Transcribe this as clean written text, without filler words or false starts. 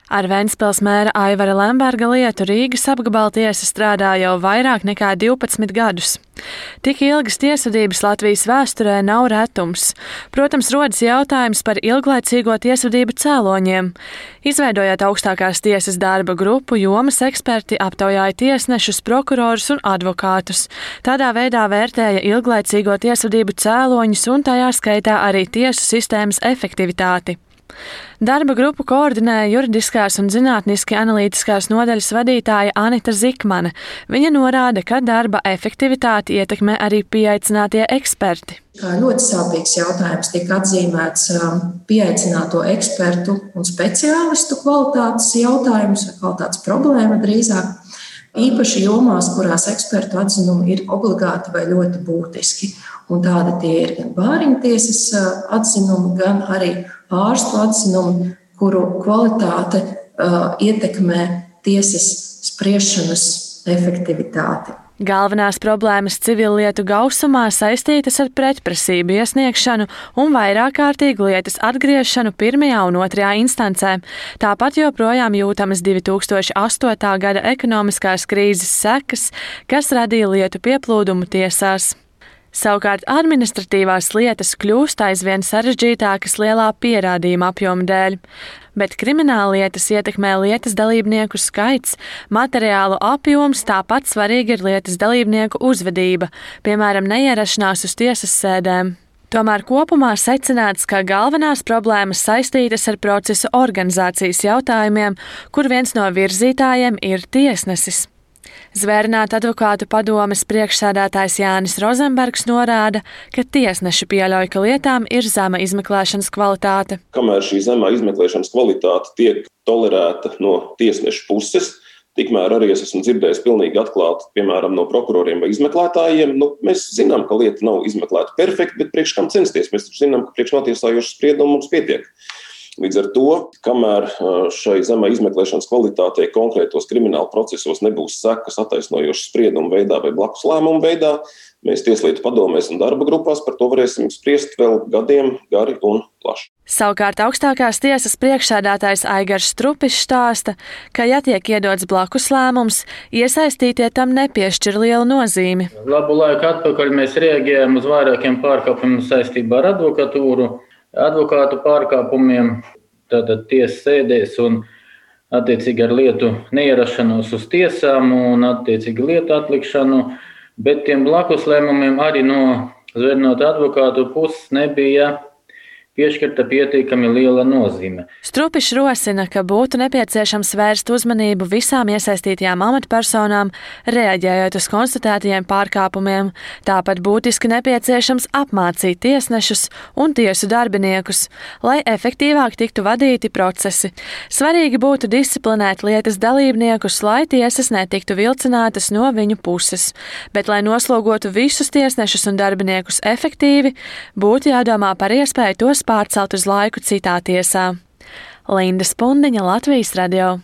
Ar Ventspils mēra Aivara Lemberga lietu Rīgas apgabaltiesa strādā jau vairāk nekā 12 gadus. Tik ilgas tiesvedības Latvijas vēsturē nav retums. Protams, rodas jautājums par ilglaicīgo tiesvedību cēloņiem. Izveidojot augstākās tiesas darba grupu, jomas eksperti aptaujāja tiesnešus, prokurorus un advokātus. Tādā veidā vērtēja ilglaicīgo tiesvedību cēloņus un tajā skaitā arī tiesu sistēmas efektivitāti. Darba grupu koordinēja juridiskās un zinātniski analītiskās nodaļas vadītāja Anita Zikmane. Viņa norāda, ka darba efektivitāti ietekmē arī pieaicinātie eksperti. Kā ļoti sāpīgs jautājums tika atzīmēts pieaicināto ekspertu un speciālistu kvalitātes jautājums, vai kvalitātes problēma drīzāk. Īpaši jomās, kurās ekspertu atzinumi ir obligāti vai ļoti būtiski. Un tādi tie ir gan bāriņtiesas atzinumi, gan arī ārstu atzinumi, kuru kvalitāte ietekmē tiesas spriešanas efektivitāti. Galvenās problēmas civillietu gausumā saistītas ar pretprasību iesniegšanu un vairāk kārtīgu lietas atgriešanu pirmajā un otrajā instancē. Tāpat joprojām jūtamas 2008. gada ekonomiskās krīzes sekas, kas radīja lietu pieplūdumu tiesās. Savukārt administratīvās lietas kļūst aizvien sarežģītākas lielā pierādījuma apjoma dēļ, bet krimināllietas ietekmē lietas dalībnieku skaits, materiālu apjoms, tāpat svarīga ir lietas dalībnieku uzvedība, piemēram, neierašanās uz tiesas sēdēm. Tomēr kopumā secināts, ka galvenās problēmas saistītas ar procesa organizācijas jautājumiem, kur viens no virzītājiem ir tiesnesis. Zvērināta advokātu padomes priekšsēdētājs Jānis Rozenbergs norāda, ka tiesneši pieļauj, ka lietām ir zema izmeklēšanas kvalitāte. Kamēr šī zemā izmeklēšanas kvalitāte tiek tolerēta no tiesnešu puses, tikmēr arī es esmu dzirdējis pilnīgi atklāti, piemēram, no prokuroriem vai izmeklētājiem. Mēs zinām, ka lieta nav izmeklēta perfekti, bet priekš kam censties? Mēs taču zinām, ka priekš notiesājošu spriedumu mums pietiek. Līdz ar to, kamēr šai zemai izmeklēšanas kvalitātei konkrētos krimināla procesos nebūs sekas attaisnojošas spriedumu veidā vai blakus lēmumu veidā, mēs tieslietu padomēs un darba grupās par to varēsim spriest vēl gadiem gari un plaši. Savukārt augstākās tiesas priekšsēdētājs Aigars Strupišs stāsta, ka, ja tiek iedots blakus lēmums, iesaistītie tam nepiešķir lielu nozīmi. Labu laiku atpakaļ mēs reaģējām uz vairākiem pārkāpumiem saistībā ar advokātu pārkāpumiem, tātad tiesas sēdēs un attiecīgi ar lietu neierašanos uz tiesām un attiecīgi lietu atlikšanu, bet tiem blakus lēmumiem arī no zvērnota advokātu puses nebija piešķirta pietiekami liela nozīme. Strupišs rosina, ka būtu nepieciešams vērst uzmanību visām iesaistītajām amatpersonām, reaģējot uz konstatētajiem pārkāpumiem. Tāpat būtiski nepieciešams apmācīt tiesnešus un tiesu darbiniekus, lai efektīvāk tiktu vadīti procesi. Svarīgi būtu disciplinēt lietas dalībniekus, lai tiesas netiktu vilcinātas no viņu puses. Bet, lai noslogotu visus tiesnešus un darbiniekus efektīvi, būtu jādomā par iespēju tos pārcelt uz laiku citā tiesā. Linda Spundiņa, Latvijas radio.